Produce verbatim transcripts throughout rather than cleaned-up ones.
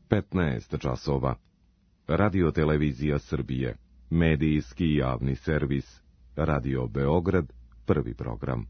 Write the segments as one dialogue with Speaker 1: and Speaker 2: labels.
Speaker 1: petnaest časova. Radio Televizija Srbije, medijski javni servis, Radio Beograd, prvi program.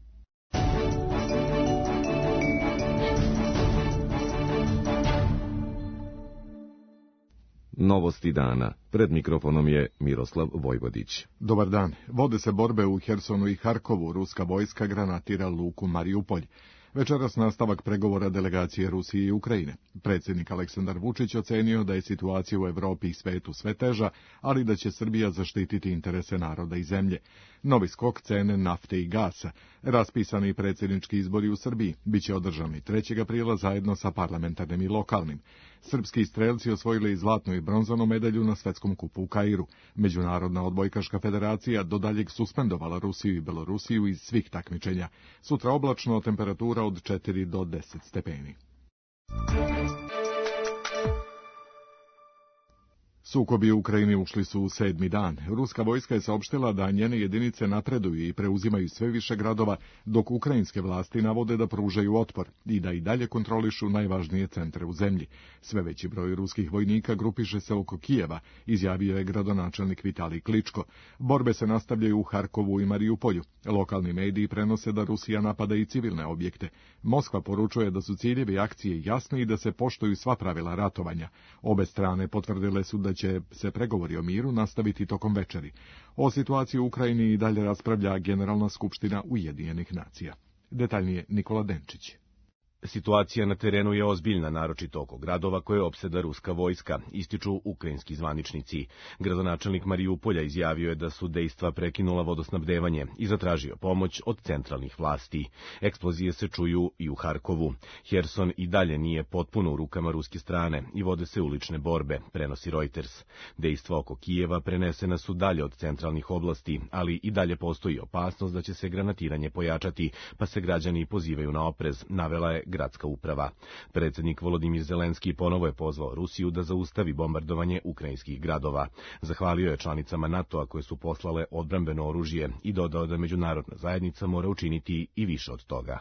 Speaker 1: Novosti dana. Pred mikrofonom je Miroslav Vojvodić.
Speaker 2: Dobar dan. Vode se borbe u Hersonu i Harkovu. Ruska vojska granatira luku Mariupolj. Večeras nastavak pregovora delegacije Rusije i Ukrajine. Predsjednik Aleksandar Vučić ocenio da je situacija u Evropi i svetu sve teža, ali da će Srbija zaštititi interese naroda i zemlje. Novi skok cene nafte i gasa. Raspisani predsjednički izbori u Srbiji biće održani trećeg aprila zajedno sa parlamentarnim i lokalnim. Srpski strelci osvojili zlatnu i bronzanu medalju na svetskom kupu u Kairu. Međunarodna odbojkaška federacija do daljeg suspendovala Rusiju i Belorusiju iz svih takmičenja. Sutra oblačno, temperatura od četiri do deset stepeni. Sukobi u Ukrajini ušli su u sedmi dan. Ruska vojska je saopštila da njene jedinice napreduju i preuzimaju sve više gradova, dok ukrajinske vlasti navode da pružaju otpor i da i dalje kontrolišu najvažnije centre u zemlji. Sve veći broj ruskih vojnika grupiše se oko Kijeva, izjavio je gradonačelnik Vitalij Kličko. Borbe se nastavljaju u Harkovu i Mariupolju. Lokalni mediji prenose da Rusija napada i civilne objekte. Moskva poručuje da su ciljevi akcije jasni i da se poštuju sva pravila ratovanja. Obe strane potvrdile su da će se pregovori o miru nastaviti tokom večeri. O situaciji u Ukrajini i dalje raspravlja Generalna skupština Ujedinjenih nacija. Detaljnije Nikola Denčić.
Speaker 3: Situacija na terenu je ozbiljna, naročito oko gradova koje opseda ruska vojska, ističu ukrajinski zvaničnici. Gradonačelnik Mariupolja izjavio je da su dejstva prekinula vodosnabdevanje i zatražio pomoć od centralnih vlasti. Eksplozije se čuju i u Harkovu. Herson i dalje nije potpuno u rukama ruske strane i vode se ulične borbe, prenosi Reuters. Dejstva oko Kijeva prenesena su dalje od centralnih oblasti, ali i dalje postoji opasnost da će se granatiranje pojačati, pa se građani pozivaju na oprez, navela je gradska uprava. Predsjednik Volodimir Zelenski ponovo je pozvao Rusiju da zaustavi bombardovanje ukrajinskih gradova. Zahvalio je članicama NATO-a koje su poslale odbrambeno oružje i dodao da međunarodna zajednica mora učiniti i više od toga.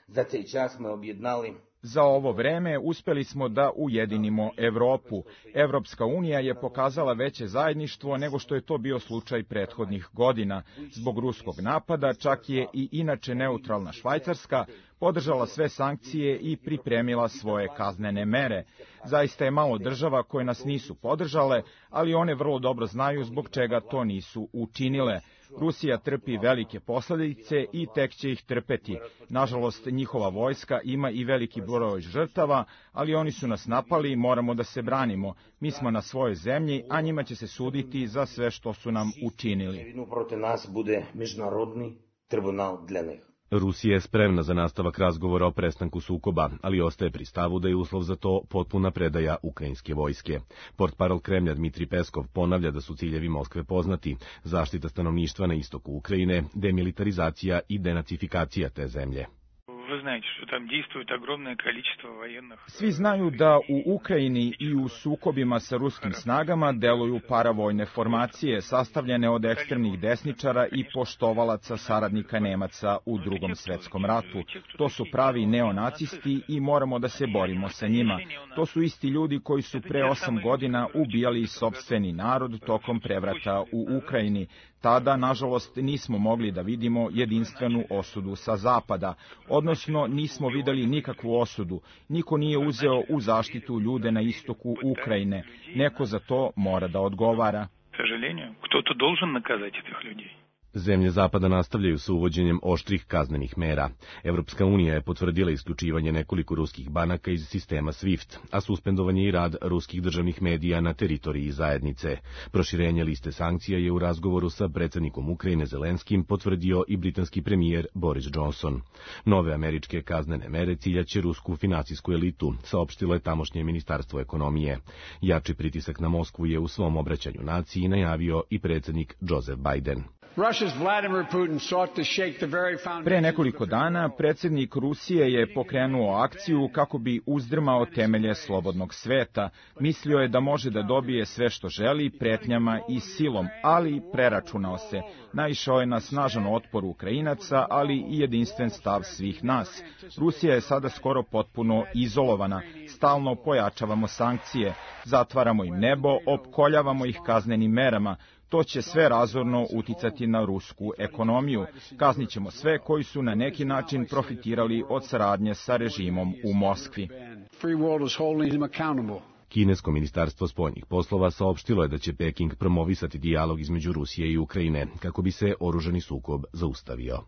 Speaker 4: Za taj čas smo objednali
Speaker 5: Za ovo vreme uspeli smo da ujedinimo Evropu. Evropska unija je pokazala veće zajedništvo nego što je to bio slučaj prethodnih godina. Zbog ruskog napada čak je i inače neutralna Švajcarska podržala sve sankcije i pripremila svoje kaznene mere. Zaista je malo država koje nas nisu podržale, ali one vrlo dobro znaju zbog čega to nisu učinile. Rusija trpi velike posljedice i tek će ih trpeti. Nažalost, njihova vojska ima i veliki broj žrtava, ali oni su nas napali i moramo da se branimo. Mi smo na svojoj zemlji, a njima će se suditi za sve što su nam učinili.
Speaker 4: Protiv nas bude međunarodni tribunal dla njih.
Speaker 3: Rusija je spremna za nastavak razgovora o prestanku sukoba, ali ostaje pri stavu da je uslov za to potpuna predaja ukrajinske vojske. Portparol Kremlja Dmitrij Peskov ponavlja da su ciljevi Moskve poznati: zaštita stanovništva na istoku Ukrajine, demilitarizacija i denacifikacija te zemlje.
Speaker 5: Svi znaju da u Ukrajini i u sukobima sa ruskim snagama deluju paravojne formacije sastavljene od ekstremnih desničara i poštovalaca saradnika Nemaca u Drugom svetskom ratu. To su pravi neonacisti i moramo da se borimo sa njima. To su isti ljudi koji su pre osam godina ubijali sopstveni narod tokom prevrata u Ukrajini. Tada, nažalost, nismo mogli da vidimo jedinstvenu osudu sa zapada, odnosno nismo videli nikakvu osudu. Niko nije uzeo u zaštitu ljude na istoku Ukrajine. Neko za to mora da odgovara.
Speaker 3: Zemlje Zapada nastavljaju sa uvođenjem oštrih kaznenih mera. Evropska unija je potvrdila isključivanje nekoliko ruskih banaka iz sistema SWIFT, a suspendovanje i rad ruskih državnih medija na teritoriji zajednice. Proširenje liste sankcija je u razgovoru sa predsjednikom Ukrajine Zelenskim potvrdio i britanski premijer Boris Johnson. Nove američke kaznene mere ciljaće rusku financijsku elitu, saopštilo je tamošnje ministarstvo ekonomije. Jači pritisak na Moskvu je u svom obraćanju naciji najavio i predsjednik Joseph Biden.
Speaker 5: Pre nekoliko dana predsjednik Rusije je pokrenuo akciju kako bi uzdrmao temelje slobodnog sveta. Mislio je da može da dobije sve što želi pretnjama i silom, ali preračunao se. Naišao je na snažan otpor Ukrajinaca, ali i jedinstven stav svih nas. Rusija je sada skoro potpuno izolovana. Stalno pojačavamo sankcije, zatvaramo im nebo, opkoljavamo ih kaznenim merama. To će sve razorno uticati na rusku ekonomiju. Kaznit ćemo sve koji su na neki način profitirali od saradnje sa režimom u Moskvi.
Speaker 3: Kinesko ministarstvo spoljnih poslova saopštilo je da će Peking promovisati dijalog između Rusije i Ukrajine, kako bi se oružani sukob zaustavio.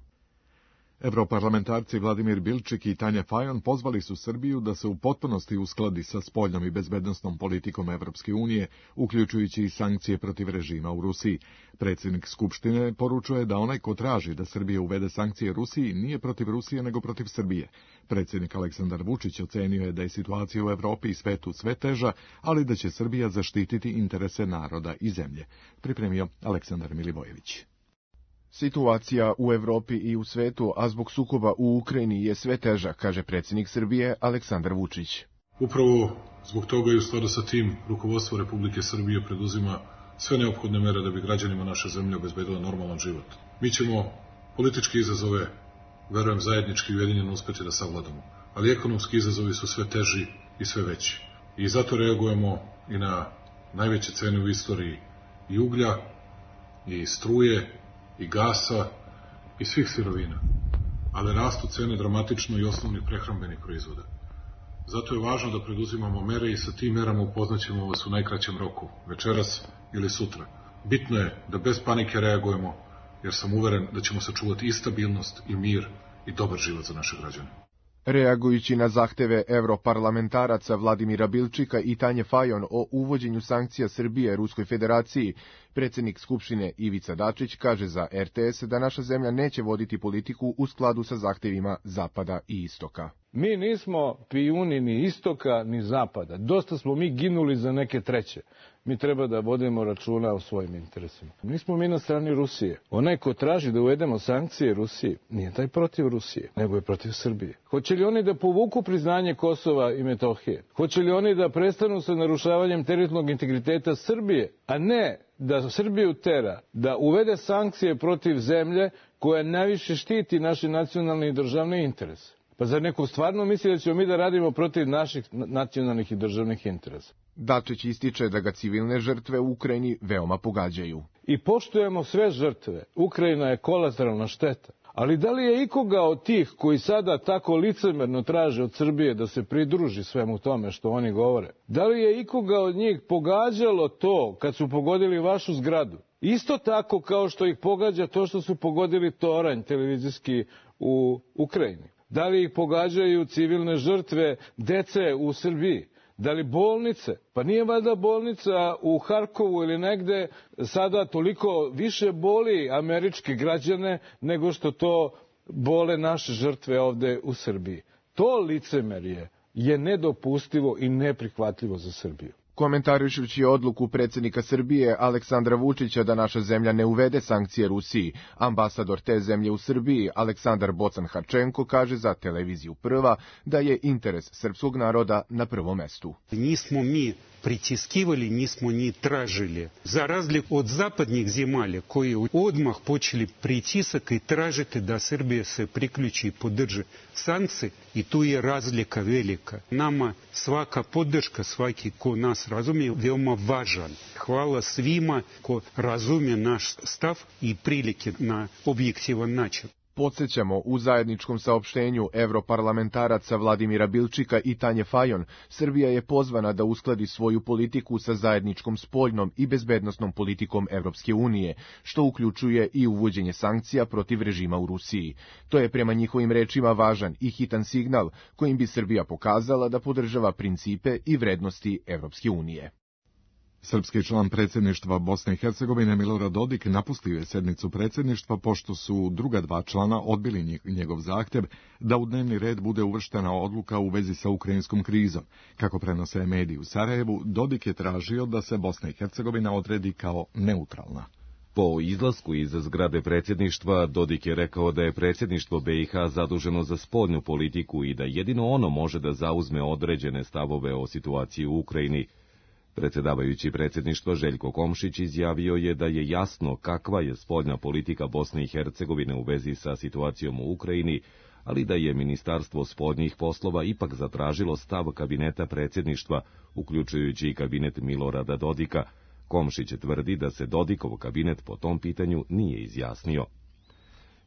Speaker 2: Evroparlamentarci Vladimir Bilčik i Tanja Fajon pozvali su Srbiju da se u potpunosti uskladi sa spoljnom i bezbednosnom politikom Evropske unije, uključujući i sankcije protiv režima u Rusiji. Predsjednik Skupštine poručuje da onaj ko traži da Srbija uvede sankcije Rusiji nije protiv Rusije nego protiv Srbije. Predsjednik Aleksandar Vučić ocenio je da je situacija u Evropi i svetu sve teža, ali da će Srbija zaštititi interese naroda i zemlje. Pripremio Aleksandar Milivojević.
Speaker 6: Situacija u Evropi i u svetu, a zbog sukoba u Ukrajini je sve teža, kaže predsjednik Srbije Aleksandar Vučić.
Speaker 7: Upravo zbog toga i u skladu sa tim rukovodstvo Republike Srbije preduzima sve neophodne mere da bi građanima naše zemlje obezbedila normalan život. Mi ćemo političke izazove, verujem, zajednički i ujedinjeno uspeti da savladamo, ali ekonomski izazovi su sve teži i sve veći. I zato reagujemo i na najveće cene u istoriji i uglja, i struje, i gasa, i svih sirovina, ali rastu cene dramatično i osnovnih prehrambenih proizvoda. Zato je važno da preduzimamo mere i sa tim merama upoznaćemo vas u najkraćem roku, večeras ili sutra. Bitno je da bez panike reagujemo, jer sam uveren da ćemo sačuvati i stabilnost, i mir, i dobar život za naše građane.
Speaker 6: Reagujući na zahteve evroparlamentaraca Vladimira Bilčika i Tanje Fajon o uvođenju sankcija Srbije Ruskoj federaciji, predsjednik Skupštine Ivica Dačić kaže za er te es da naša zemlja neće voditi politiku u skladu sa zahtevima Zapada i Istoka.
Speaker 8: Mi nismo pijuni ni Istoka ni Zapada. Dosta smo mi ginuli za neke treće. Mi treba da vodimo računa o svojim interesima. Nismo mi na strani Rusije. Onaj ko traži da uvedemo sankcije Rusiji, nije taj protiv Rusije, nego je protiv Srbije. Hoće li oni da povuku priznanje Kosova i Metohije? Hoće li oni da prestanu sa narušavanjem teritorijalnog integriteta Srbije, a ne da Srbiju tera da uvede sankcije protiv zemlje koja najviše štiti naše nacionalne i državne interese? Pa zar neko stvarno misli da ćemo mi da radimo protiv naših nacionalnih i državnih interesa?
Speaker 6: Dačić ističe da ga civilne žrtve u Ukrajini veoma pogađaju.
Speaker 8: I poštujemo sve žrtve. Ukrajina je kolateralna šteta. Ali da li je ikoga od tih koji sada tako licemerno traže od Srbije da se pridruži svemu tome što oni govore, da li je ikoga od njih pogađalo to kad su pogodili vašu zgradu? Isto tako kao što ih pogađa to što su pogodili toranj televizijski u Ukrajini. Da li ih pogađaju civilne žrtve dece u Srbiji? Da li bolnice? Pa nije valjda bolnica u Harkovu ili negde sada toliko više boli američke građane nego što to bole naše žrtve ovde u Srbiji. To licemerje je nedopustivo i neprihvatljivo za Srbiju.
Speaker 6: Komentarišući odluku predsjednika Srbije Aleksandra Vučića da naša zemlja ne uvede sankcije Rusiji, ambasador te zemlje u Srbiji Aleksandar Bocan-Harčenko kaže za televiziju Prva da je interes srpskog naroda na prvom mestu.
Speaker 9: Nismo mi pritiskivali, nismo ni tražili. За разлику od zapadnih zemalja koji odmah počeli pritisak i tražiti da Srbija se priključi i podrži sankcije, i tu je razlika velika. Nama svaka podrška, svaki ko nas razumije, veoma važan. Hvala svima ko razumije naš stav i prilike na objektivan način.
Speaker 6: Podsjećamo, u zajedničkom saopštenju evroparlamentaraca Vladimira Bilčika i Tanje Fajon, Srbija je pozvana da uskladi svoju politiku sa zajedničkom spoljnom i bezbednosnom politikom Evropske unije, što uključuje i uvođenje sankcija protiv režima u Rusiji. To je prema njihovim rečima važan i hitan signal kojim bi Srbija pokazala da podržava principe i vrednosti Evropske unije.
Speaker 2: Srpski član predsjedništva Bosne i Hercegovine Milorad Dodik napustio je sednicu predsjedništva pošto su druga dva člana odbili njegov zahtev da u dnevni red bude uvrštena odluka u vezi sa ukrajinskom krizom. Kako prenose mediji u Sarajevu, Dodik je tražio da se Bosna i Hercegovina odredi kao neutralna.
Speaker 1: Po izlasku iz zgrade predsjedništva, Dodik je rekao da je predsjedništvo B i H zaduženo za spoljnu politiku i da jedino ono može da zauzme određene stavove o situaciji u Ukrajini. Predsjedavajući predsjedništva Željko Komšić izjavio je da je jasno kakva je spoljna politika Bosne i Hercegovine u vezi sa situacijom u Ukrajini, ali da je Ministarstvo spoljnih poslova ipak zatražilo stav kabineta predsjedništva, uključujući i kabinet Milorada Dodika. Komšić tvrdi da se Dodikov kabinet po tom pitanju nije izjasnio.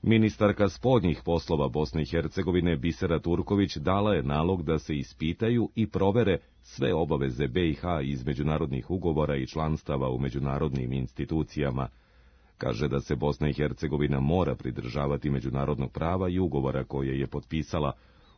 Speaker 1: Ministarka spoljnih poslova Bosne i Hercegovine Bisera Turković dala je nalog da se ispitaju i provere sve obaveze B i H iz međunarodnih ugovora i članstava u međunarodnim institucijama. Kaže da se Bosna i Hercegovina mora pridržavati međunarodnog prava i ugovora koje je potpisala.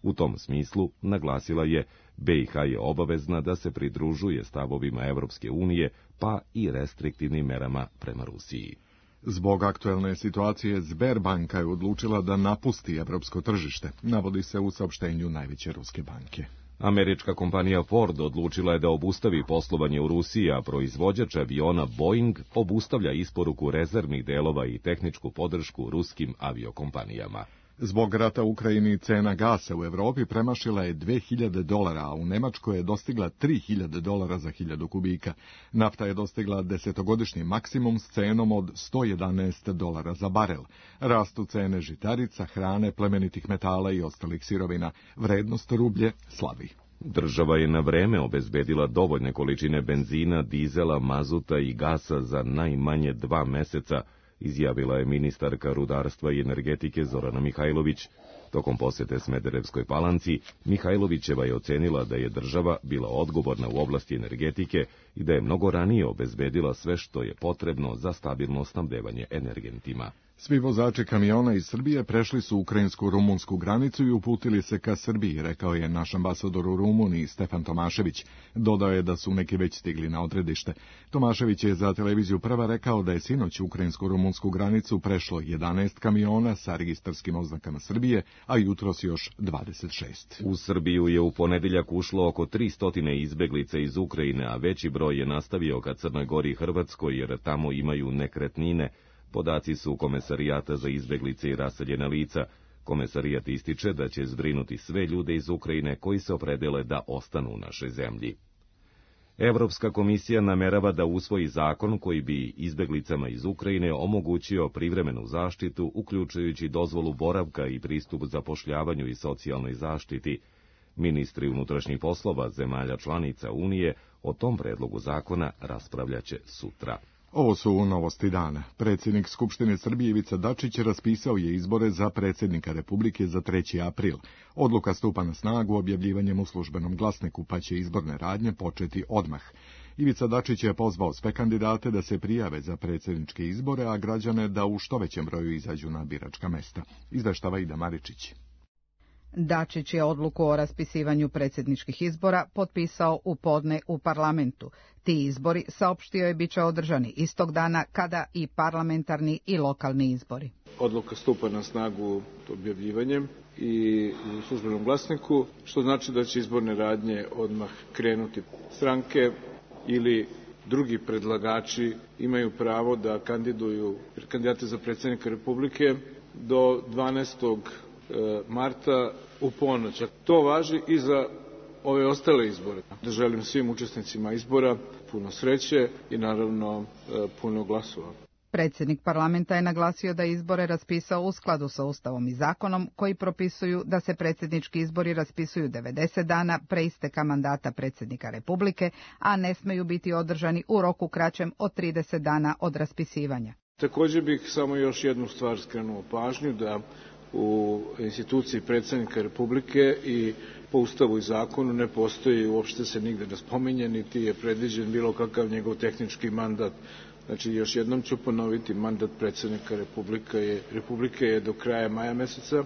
Speaker 1: U tom smislu, naglasila je, B i H je obavezna da se pridružuje stavovima Evropske unije, pa i restriktivnim merama prema Rusiji.
Speaker 2: Zbog aktuelne situacije Sberbanka je odlučila da napusti evropsko tržište, navodi se u saopštenju najveće ruske banke.
Speaker 1: Američka kompanija Ford odlučila je da obustavi poslovanje u Rusiji, a proizvođač aviona Boeing obustavlja isporuku rezervnih delova i tehničku podršku ruskim aviokompanijama.
Speaker 2: Zbog rata u Ukrajini cena gasa u Evropi premašila je dve hiljade dolara, a u Nemačkoj je dostigla tri hiljade dolara za hiljadu kubika. Nafta je dostigla desetogodišnji maksimum s cenom od sto jedanaest dolara za barel. Rastu cene žitarica, hrane, plemenitih metala i ostalih sirovina. Vrednost rublje slabi.
Speaker 1: Država je na vreme obezbedila dovoljne količine benzina, dizela, mazuta i gasa za najmanje dva meseca, izjavila je ministarka rudarstva i energetike Zorana Mihajlović. Tokom posete Smederevskoj Palanci, Mihajlovićeva je ocenila da je država bila odgovorna u oblasti energetike i da je mnogo ranije obezbedila sve što je potrebno za stabilno snabdevanje energentima.
Speaker 2: Svi vozači kamiona iz Srbije prešli su ukrajinsku-rumunsku granicu i uputili se ka Srbiji, rekao je naš ambasador u Rumuniji Stefan Tomašević. Dodao je da su neki već stigli na odredište. Tomašević je za televiziju Prva rekao da je sinoć ukrajinsko-rumunsku granicu prešlo jedanaest kamiona sa registarskim oznakama Srbije, a jutros još dvadeset šest.
Speaker 1: U Srbiju je u ponedeljak ušlo oko tristo izbeglica iz Ukrajine, a veći broj je nastavio ka Crnoj Gori i Hrvatskoj, jer tamo imaju nekretnine. Podaci su Komesarijata za izbeglice i raseljena lica. Komesarijat ističe da će zbrinuti sve ljude iz Ukrajine koji se opredele da ostanu u našoj zemlji. Evropska komisija namerava da usvoji zakon koji bi izbeglicama iz Ukrajine omogućio privremenu zaštitu, uključujući dozvolu boravka i pristup zapošljavanju i socijalnoj zaštiti. Ministri unutrašnjih poslova zemalja članica Unije o tom predlogu zakona raspravljaće sutra.
Speaker 2: Ovo su novosti dana. Predsjednik Skupštine Srbije Ivica Dačić raspisao je izbore za predsjednika Republike za treći april. Odluka stupa na snagu objavljivanjem u službenom glasniku, pa će izborne radnje početi odmah. Ivica Dačić je pozvao sve kandidate da se prijave za predsjedničke izbore, a građane da u što većem broju izađu na biračka mesta. Izveštava Ida Maričić.
Speaker 10: Dačić je odluku o raspisivanju predsjedničkih izbora potpisao u podne u parlamentu. Ti izbori, saopštio je, bit će održani istog dana kada i parlamentarni i lokalni izbori.
Speaker 8: Odluka stupa na snagu objavljivanjem i u službenom glasniku, što znači da će izborne radnje odmah krenuti. Stranke ili drugi predlagači imaju pravo da kandiduju kandidate za predsjednika Republike do dvanaestog marta u ponoć. To važi i za ove ostale izbore. Da želim svim učesnicima izbora puno sreće i naravno puno glasova.
Speaker 10: Predsjednik parlamenta je naglasio da je izbore raspisao u skladu sa Ustavom i zakonom koji propisuju da se predsjednički izbori raspisuju devedeset dana pre isteka mandata predsjednika Republike, a ne smeju biti održani u roku kraćem od trideset dana od raspisivanja.
Speaker 8: Također bih samo još jednu stvar skrenuo pažnju, da u instituciji predsjednika Republike i po Ustavu i zakonu ne postoji, uopšte se nigde ne spominje, niti je predviđen bilo kakav njegov tehnički mandat. Znači, još jednom ću ponoviti, mandat predsjednika Republike je, Republike je do kraja maja meseca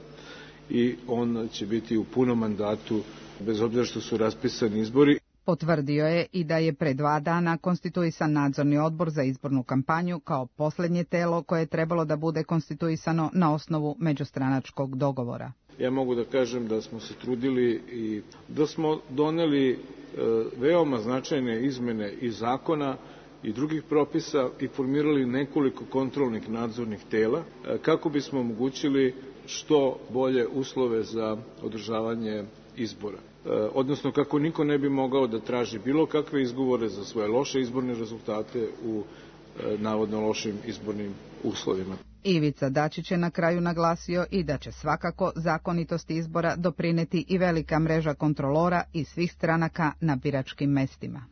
Speaker 8: i on će biti u punom mandatu, bez obzira što su raspisani izbori.
Speaker 10: Potvrdio je i da je pre dva dana konstituisan nadzorni odbor za izbornu kampanju kao posljednje telo koje je trebalo da bude konstituisano na osnovu međustranačkog dogovora.
Speaker 8: Ja mogu da kažem da smo se trudili i da smo doneli e, veoma značajne izmene iz zakona i drugih propisa i formirali nekoliko kontrolnih nadzornih tela kako bismo omogućili što bolje uslove za održavanje izbora. Odnosno kako niko ne bi mogao da traži bilo kakve izgovore za svoje loše izborne rezultate u navodno lošim izbornim uslovima.
Speaker 10: Ivica Dačić je na kraju naglasio i da će svakako zakonitosti izbora doprineti i velika mreža kontrolora iz svih stranaka na biračkim mestima.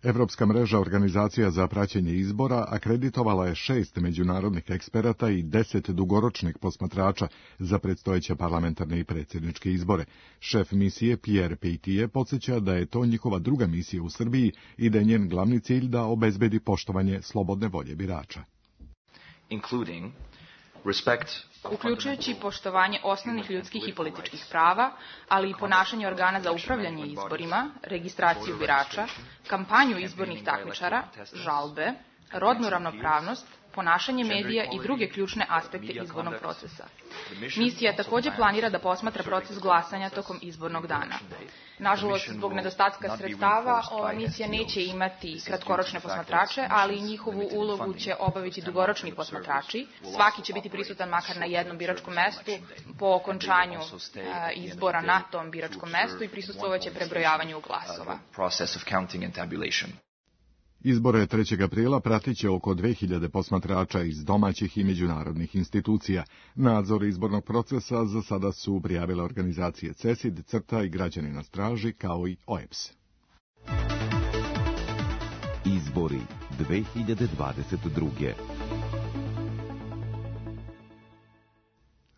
Speaker 2: Evropska mreža organizacija za praćenje izbora akreditovala je šest međunarodnih eksperata i deset dugoročnih posmatrača za predstojeće parlamentarne i predsjedničke izbore. Šef misije Pierre Peitier podsjeća da je to njihova druga misija u Srbiji i da je njen glavni cilj da obezbedi poštovanje slobodne volje birača.
Speaker 11: Including respect, uključujući poštovanje osnovnih ljudskih i političkih prava, ali i ponašanje organa za upravljanje izborima, registraciju birača, kampanju izbornih takmičara, žalbe, rodnu ravnopravnost, ponašanje medija i druge ključne aspekte izbornog procesa. Misija također planira da posmatra proces glasanja tokom izbornog dana. Nažalost, zbog nedostatka sredstava, ova misija neće imati kratkoročne posmatrače, ali njihovu ulogu će obaviti dugoročni posmatrači. Svaki će biti prisutan makar na jednom biračkom mestu po okončanju izbora na tom biračkom mestu i prisustvovat će prebrojavanju glasova.
Speaker 2: Izbore trećeg aprila pratit će oko dve hiljade posmatrača iz domaćih i međunarodnih institucija. Nadzor izbornog procesa za sada su prijavile organizacije CESID, CRTA i Građani na straži, kao i O E B S.
Speaker 1: Izbori dve hiljade dvadeset druge.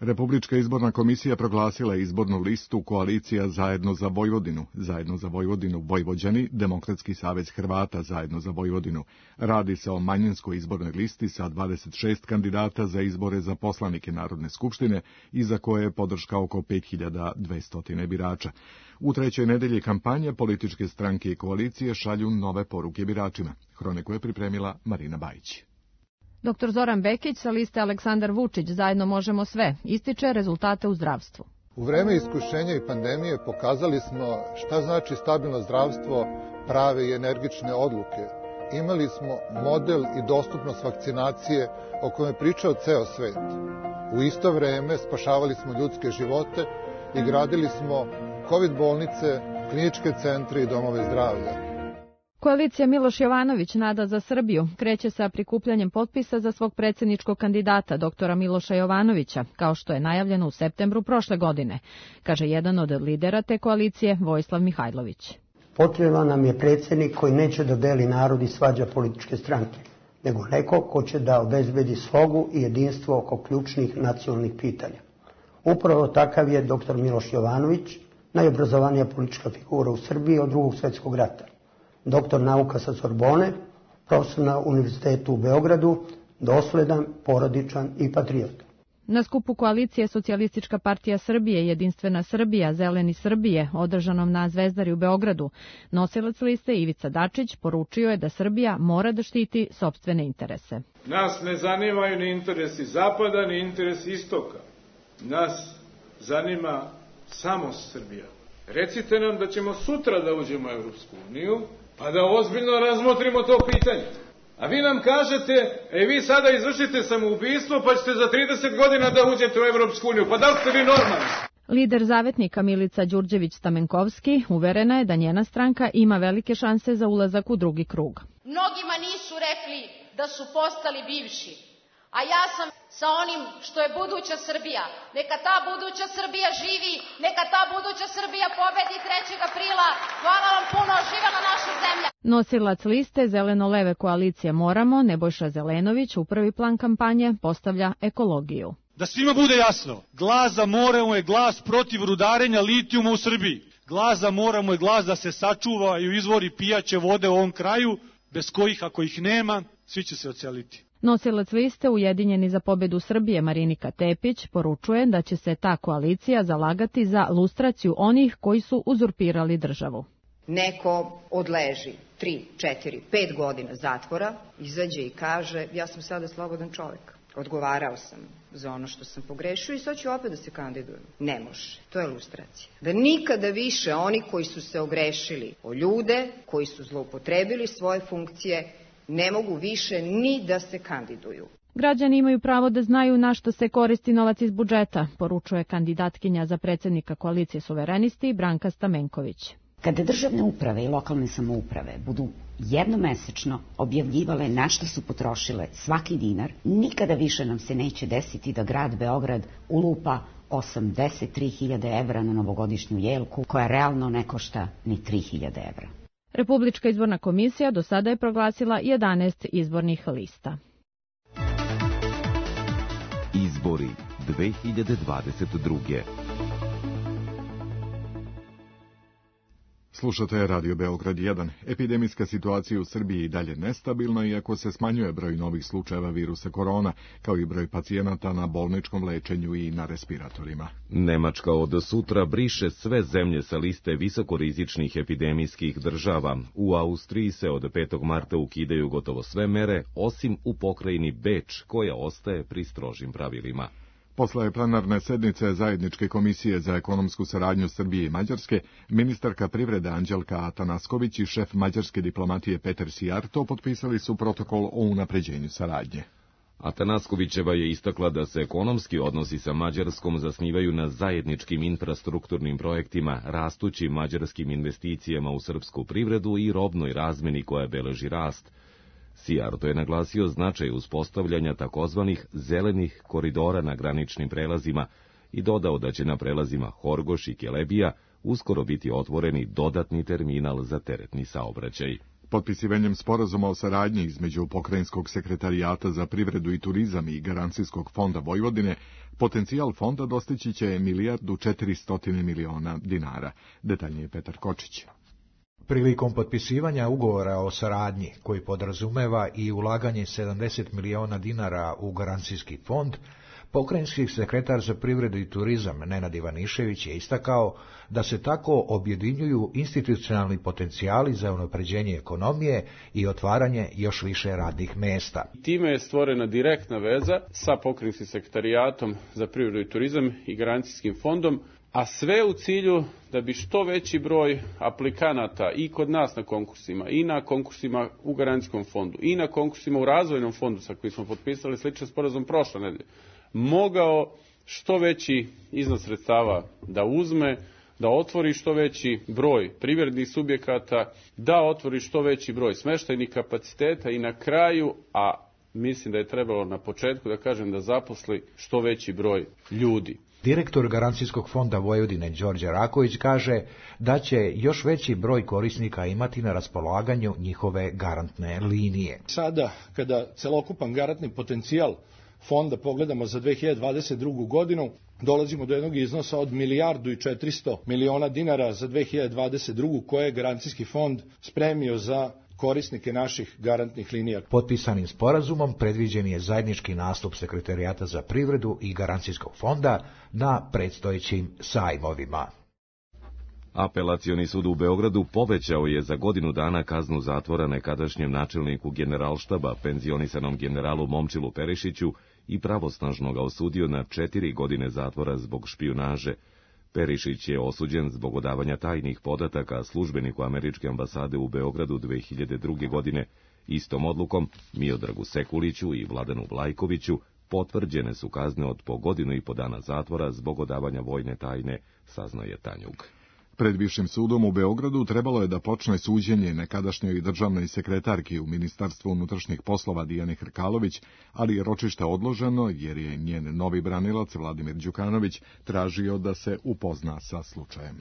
Speaker 2: Republička izborna komisija proglasila je izbornu listu koalicija Zajedno za Vojvodinu, Zajedno za Vojvodinu Vojvođani, Demokratski savez Hrvata Zajedno za Vojvodinu. Radi se o manjinskoj izbornoj listi sa dvadeset šest kandidata za izbore za poslanike Narodne skupštine i za koje je podrška oko pet hiljada dvesta birača. U trećoj nedelji kampanje političke stranke i koalicije šalju nove poruke biračima. Hroniku je pripremila Marina Bajić.
Speaker 12: Doktor Zoran Bekić sa liste Aleksandar Vučić Zajedno možemo sve ističe rezultate u zdravstvu.
Speaker 13: U vreme iskušenja i pandemije pokazali smo šta znači stabilno zdravstvo, prave i energične odluke. Imali smo model i dostupnost vakcinacije o kojem je pričao ceo svet. U isto vreme spašavali smo ljudske živote i gradili smo kovid bolnice, kliničke centre i domove zdravlja.
Speaker 12: Koalicija Miloš Jovanović Nada za Srbiju kreće sa prikupljanjem potpisa za svog predsjedničkog kandidata, doktora Miloša Jovanovića, kao što je najavljeno u septembru prošle godine, kaže jedan od lidera te koalicije, Vojislav Mihajlović.
Speaker 14: Potreban nam je predsjednik koji neće da deli narod i svađa političke stranke, nego neko ko će da obezbedi slogu i jedinstvo oko ključnih nacionalnih pitanja. Upravo takav je doktor Miloš Jovanović, najobrazovanija politička figura u Srbiji od drugog svjetskog rata. Doktor nauka sa Sorbone, profesor na Univerzitetu u Beogradu, dosledan, porodičan i patriot.
Speaker 12: Na skupu koalicije Socijalistička partija Srbije, Jedinstvena Srbija, Zeleni Srbije, održanom na Zvezdari u Beogradu, nosilac liste Ivica Dačić poručio je da Srbija mora da štiti sopstvene interese.
Speaker 8: Nas ne zanimaju ni interesi Zapada, ni interesi Istoka. Nas zanima samo Srbija. Recite nam da ćemo sutra da uđemo u Evropsku uniju, pa da ozbiljno razmotrimo to pitanje. A vi nam kažete, e vi sada izvršite samoubistvo, pa ćete za trideset godina da uđete u Evropsku uniju. Pa da li ste vi normalni?
Speaker 12: Lider zavetnika Milica Đurđević-Stamenkovski uverena je da njena stranka ima velike šanse za ulazak u drugi krug.
Speaker 15: Mnogima nisu rekli da su postali bivši. A ja sam sa onim što je buduća Srbija. Neka ta buduća Srbija živi, neka ta buduća Srbija pobedi trećeg aprila. Hvala vam puno, živela naša zemlja.
Speaker 12: Nosilac liste Zeleno-leve koalicije Moramo, Nebojša Zelenović, u prvi plan kampanje postavlja ekologiju.
Speaker 16: Da svima bude jasno, glas za Moramo je glas protiv rudarenja litijuma u Srbiji. Glas za Moramo je glas da se sačuvaju izvori pijaće vode u ovom kraju, bez kojih, ako ih nema, svi će se odseliti.
Speaker 12: Nosilac liste Ujedinjeni za pobedu Srbije Marinika Tepić poručuje da će se ta koalicija zalagati za lustraciju onih koji su uzurpirali državu.
Speaker 17: Neko odleži tri, četiri, pet godina zatvora, izađe i kaže ja sam sada slobodan čovjek. Odgovarao sam za ono što sam pogrešio i sad ću opet da se kandidujem. Ne može, to je lustracija. Da nikada više oni koji su se ogrešili o ljude, koji su zloupotrebili svoje funkcije, ne mogu više ni da se kandiduju.
Speaker 12: Građani imaju pravo da znaju na što se koristi novac iz budžeta, poručuje kandidatkinja za predsjednika koalicije Suverenisti Branka Stamenković.
Speaker 18: Kada državne uprave i lokalne samouprave budu jednomesečno objavljivale na što su potrošile svaki dinar, nikada više nam se neće desiti da grad Beograd ulupa osamdeset tri hiljade evra na novogodišnju jelku, koja realno ne košta ni tri hiljade evra.
Speaker 12: Republička izborna komisija do sada je proglasila jedanaest izbornih lista.
Speaker 1: Izbori dve hiljade dvadeset druge.
Speaker 2: Slušate Radio Beograd jedan. Epidemijska situacija u Srbiji i dalje nestabilna, iako se smanjuje broj novih slučajeva virusa korona, kao i broj pacijenata na bolničkom lečenju i na respiratorima.
Speaker 1: Nemačka od sutra briše sve zemlje sa liste visokorizičnih epidemijskih država. U Austriji se od petog marta ukidaju gotovo sve mere, osim u pokrajini Beč, koja ostaje pri strožim pravilima.
Speaker 2: Posle plenarne sednice Zajedničke komisije za ekonomsku saradnju Srbije i Mađarske, ministarka privrede Anđelka Atanasković i šef mađarske diplomatije Peter Sijarto potpisali su protokol o unapređenju saradnje.
Speaker 1: Atanaskovićeva je istakla da se ekonomski odnosi sa Mađarskom zasnivaju na zajedničkim infrastrukturnim projektima, rastućim mađarskim investicijama u srpsku privredu i robnoj razmeni koja beleži rast. Sijarto je naglasio značaj uspostavljanja takozvanih zelenih koridora na graničnim prelazima i dodao da će na prelazima Horgoš i Kelebija uskoro biti otvoreni dodatni terminal za teretni saobraćaj.
Speaker 2: Potpisivanjem sporazuma o saradnji između Pokrajinskog sekretarijata za privredu i turizam i Garancijskog fonda Vojvodine, potencijal fonda dostići će milijardu četiristo miliona dinara. Detaljnije Petar Kočić.
Speaker 19: Prilikom potpisivanja ugovora o saradnji, koji podrazumeva i ulaganje sedamdeset miliona dinara u garancijski fond, pokrajinski sekretar za privredu i turizam Nenad Ivanišević je istakao da se tako objedinjuju institucionalni potencijali za unapređenje ekonomije i otvaranje još više radnih mesta.
Speaker 20: Time je stvorena direktna veza sa pokrajinskim sekretarijatom za privredu i turizam i garancijskim fondom, a sve u cilju da bi što veći broj aplikanata i kod nas na konkursima, i na konkursima u garancijskom fondu, i na konkursima u razvojnom fondu sa kojim smo potpisali sličan sporazum prošle nedelje, mogao što veći iznos sredstava da uzme, da otvori što veći broj privrednih subjekata, da otvori što veći broj smeštajnih kapaciteta i na kraju, a mislim da je trebalo na početku da kažem da zaposli što veći broj ljudi.
Speaker 19: Direktor Garancijskog fonda Vojvodine Đorđe Raković kaže da će još veći broj korisnika imati na raspolaganju njihove garantne linije.
Speaker 21: Sada, kada celokupan garantni potencijal fonda pogledamo za dve hiljade dvadeset drugu godinu, dolazimo do jednog iznosa od milijardu i četiristo miliona dinara za dve hiljade dvadeset drugu koje je Garancijski fond spremio za korisnike naših garantnih linija.
Speaker 19: Potpisanim sporazumom predviđen je zajednički nastup Sekretarijata za privredu i Garancijskog fonda na predstojećim sajmovima.
Speaker 1: Apelacioni sud u Beogradu povećao je za godinu dana kaznu zatvora nekadašnjem načelniku generalštaba, penzionisanom generalu Momčilu Perišiću, i pravosnažno ga osudio na četiri godine zatvora zbog špijunaže. Perišić je osuđen zbog odavanja tajnih podataka službeniku američke ambasade u Beogradu dve hiljade druge. godine. Istom odlukom Miodragu Sekuliću i Vladanu Vlajkoviću potvrđene su kazne od po godinu i po dana zatvora zbog odavanja vojne tajne, saznao je Tanjug.
Speaker 2: Pred Višim sudom u Beogradu trebalo je da počne suđenje nekadašnjoj državnoj sekretarki u Ministarstvu unutrašnjih poslova Dijane Hrkalović, ali je ročište odloženo jer je njen novi branilac Vladimir Đukanović tražio da se upozna sa slučajem.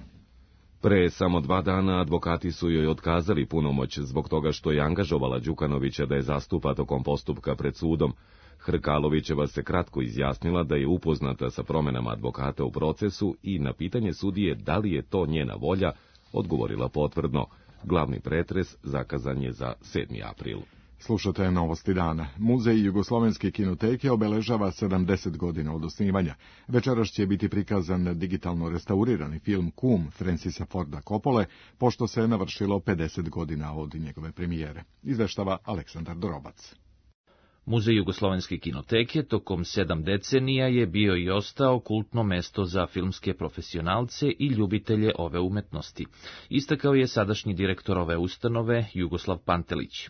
Speaker 1: Pre samo dva dana advokati su joj otkazali punomoć zbog toga što je angažovala Đukanovića da je zastupa tokom postupka pred sudom. Hrkalovićeva se kratko izjasnila da je upoznata sa promenama advokata u procesu i na pitanje sudije da li je to njena volja, odgovorila potvrdno. Glavni pretres zakazan je za sedmi april.
Speaker 2: Slušate Novosti dana. Muzej Jugoslovenske kinoteke obeležava sedamdeset godina od osnivanja. Večeras će biti prikazan digitalno restaurirani film Kum Francisa Forda Coppole, pošto se navršilo pedeset godina od njegove premijere. Izveštava Aleksandar Dorobac.
Speaker 22: Muzej Jugoslovenske kinoteke tokom sedam decenija je bio i ostao kultno mesto za filmske profesionalce i ljubitelje ove umetnosti. Istakao je sadašnji direktor ove ustanove Jugoslav Pantelić.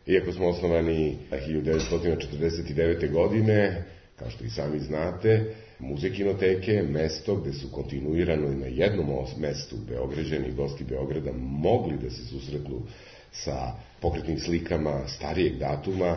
Speaker 4: Iako smo osnovani hiljadu devetsto četrdeset devete. godine, kao što i sami znate, Muzej kinoteke je mesto gde su kontinuirano i na jednom mestu Beograđani i gosti Beograda mogli da se susretnu sa pokretnim slikama starijeg datuma,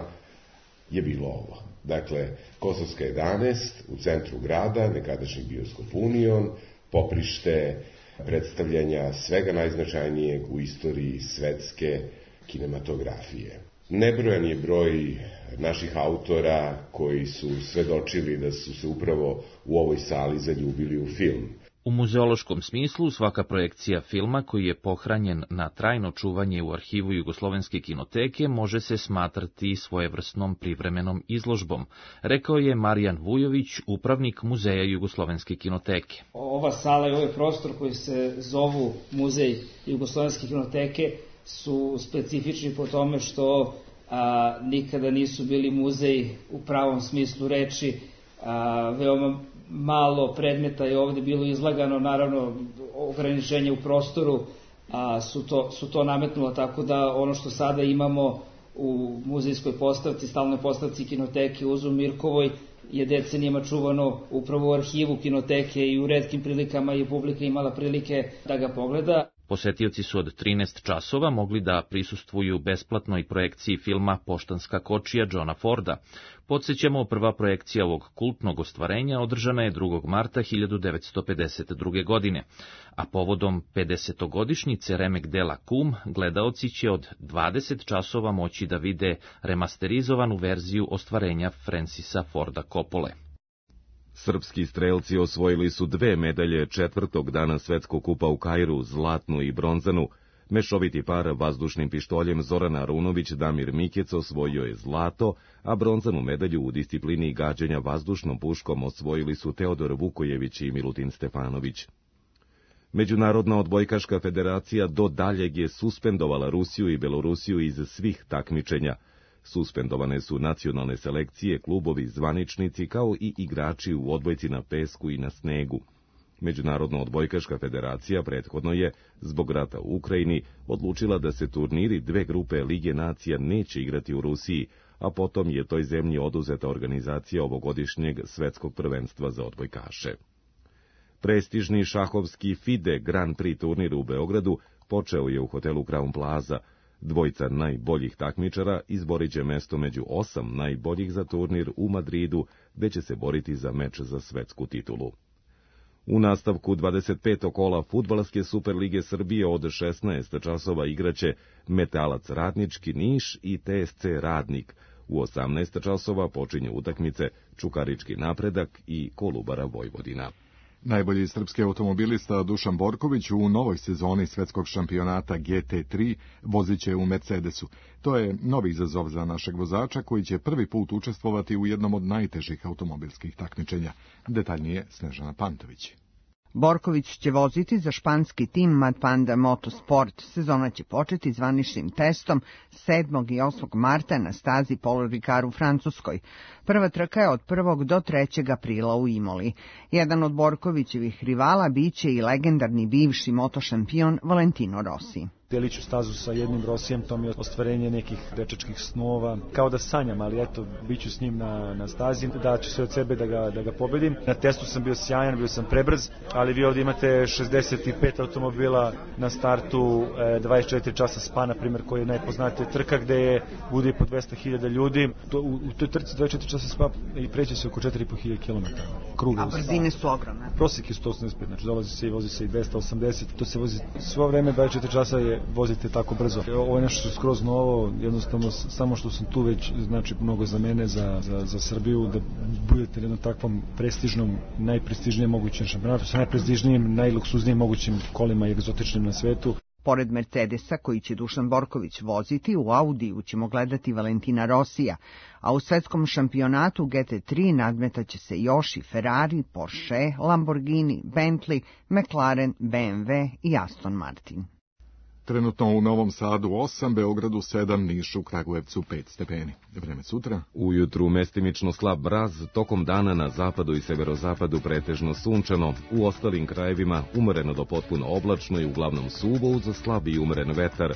Speaker 4: je bilo ovo. Dakle, Kosovska jedanaest u centru grada, nekadašnji bioskop Union, poprište predstavljanja svega najznačajnijeg u istoriji svetske kinematografije. Nebrojan je broj naših autora koji su svedočili da su se upravo u ovoj sali zaljubili u film.
Speaker 22: U muzeološkom smislu svaka projekcija filma koji je pohranjen na trajno čuvanje u arhivu Jugoslovenske kinoteke može se smatrati svojevrsnom privremenom izložbom, rekao je Marijan Vujović, upravnik Muzeja Jugoslovenske kinoteke.
Speaker 5: Ova sala i ovaj prostor koji se zovu Muzej Jugoslovenske kinoteke su specifični po tome što a, nikada nisu bili muzej u pravom smislu reči, a, veoma malo predmeta je ovde bilo izlagano, naravno ograničenje u prostoru a, su, to, su to nametnula, tako da ono što sada imamo u muzejskoj postavci, stalnoj postavci kinoteke u Uzu Mirkovoj je decenijama čuvano upravo u arhivu kinoteke i u retkim prilikama je publika imala prilike da ga pogleda.
Speaker 22: Posetioci su od trinaest časova mogli da prisustvuju besplatnoj projekciji filma Poštanska kočija Johna Forda. Podsjećamo, prva projekcija ovog kultnog ostvarenja održana je drugog marta hiljadu devetsto pedeset druge. godine, a povodom pedesetogodišnjice remek dela Kum, gledaoci će od dvadeset časova moći da vide remasterizovanu verziju ostvarenja Francisa Forda Coppole.
Speaker 1: Srpski strelci osvojili su dve medalje četvrtog dana svetskog kupa u Kairu, zlatnu i bronzanu. Mešoviti par vazdušnim pištoljem Zoran Arunović Damir Mikec osvojio je zlato, a bronzanu medalju u disciplini gađanja vazdušnom puškom osvojili su Teodor Vukojević i Milutin Stefanović. Međunarodna odbojkaška federacija do daljeg je suspendovala Rusiju i Belorusiju iz svih takmičenja. Suspendovane su nacionalne selekcije, klubovi, zvaničnici, kao i igrači u odbojci na pesku i na snegu. Međunarodna odbojkaška federacija prethodno je, zbog rata u Ukrajini, odlučila da se turniri dve grupe Lige nacija neće igrati u Rusiji, a potom je toj zemlji oduzeta organizacija ovogodišnjeg svetskog prvenstva za odbojkaše. Prestižni šahovski FIDE Grand Prix turnir u Beogradu počeo je u hotelu Crown Plaza. Dvojica najboljih takmičara izborit će mesto među osam najboljih za turnir u Madridu, gde će se boriti za meč za svetsku titulu. U nastavku dvadeset petog kola Fudbalske Superlige Srbije od šesnaest časova igraće Metalac Radnički Niš i T S C Radnik. U osamnaest časova počinje utakmice Čukarički Napredak i Kolubara Vojvodina.
Speaker 2: Najbolji srpski automobilista Dušan Borković u novoj sezoni svetskog šampionata G T tri vozit će u Mercedesu. To je novi izazov za našeg vozača koji će prvi put učestvovati u jednom od najtežih automobilskih takmičenja. Detaljnije Snežana Pantović.
Speaker 23: Borković će voziti za španski tim Mad Panda Motorsport. Sezona će početi zvaničnim testom sedmog i osmog marta na stazi Paul Ricard u Francuskoj. Prva trka je od prvog do trećeg aprila u Imoli. Jedan od Borkovićevih rivala biće i legendarni bivši motošampion Valentino Rossi.
Speaker 24: Delit ću stazu sa jednim Rosijem, to mi je ostvarenje nekih dečačkih snova. Kao da sanjam, ali eto, bit ću s njim na, na stazi, da ću se od sebe da ga, da ga pobedim. Na testu sam bio sjajan, bio sam prebrz, ali vi ovdje imate šezdeset pet automobila na startu, dvadeset četiri časa spa, na primjer, koji je najpoznatija trka, gde je, bude i po dvesta hiljada ljudi. To, u, u toj trci dvadeset četiri časa spa i preći se oko četiri i po hiljade kilometara. Kruga.
Speaker 23: A brzine su ogromne.
Speaker 24: Prosjek je sto osamdeset pet, znači dolazi se i vozi se i dvesta osamdeset. To se vozi svo vreme, dvadeset četiri časa je vozite tako brzo. Ovo je nešto što je skroz novo, jednostavno samo što sam tu već znači mnogo za mene, za, za, za Srbiju, da budete na jednom takvom prestižnom, najprestižnijem mogućem šampionatu, sa najprestižnijim, najluksuznijim mogućim kolima i egzotičnim na svetu.
Speaker 23: Pored Mercedesa, koji će Dušan Borković voziti, u Audiju ćemo gledati Valentina Rosija, a u svetskom šampionatu G T tri nadmetaće se još i Ferrari, Porsche, Lamborghini, Bentley, McLaren, B M W i Aston Martin.
Speaker 2: Trenutno u Novom Sadu osam, Beogradu sedam, Nišu, Kragujevcu pet stepeni. Vreme sutra.
Speaker 1: Ujutru mestimično slab mraz, tokom dana na zapadu i severozapadu pretežno sunčano, u ostalim krajevima umereno do potpuno oblačno i uglavnom suvo uz slab i umeren vetar.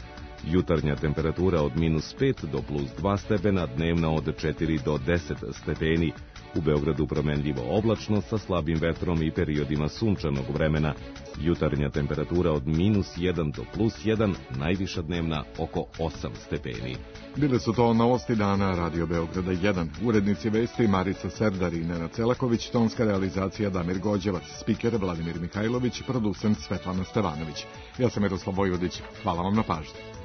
Speaker 1: Jutarnja temperatura od minus pet do plus dva stepena, dnevna od četiri do deset stepeni. U Beogradu promenljivo oblačno sa slabim vetrom i periodima sunčanog vremena. Jutarnja temperatura od minus jedan do plus jedan, najviša dnevna oko osam stepeni.
Speaker 2: Bile su to novosti dana Radio Beograda jedan. Urednici vesti Marica Serdar i Nenad Celaković, tonska realizacija Damir Gođevac, spiker Vladimir Mihajlović, producent Svetlana Stevanović. Ja sam Miroslav Vojvodić. Hvala vam na pažnji.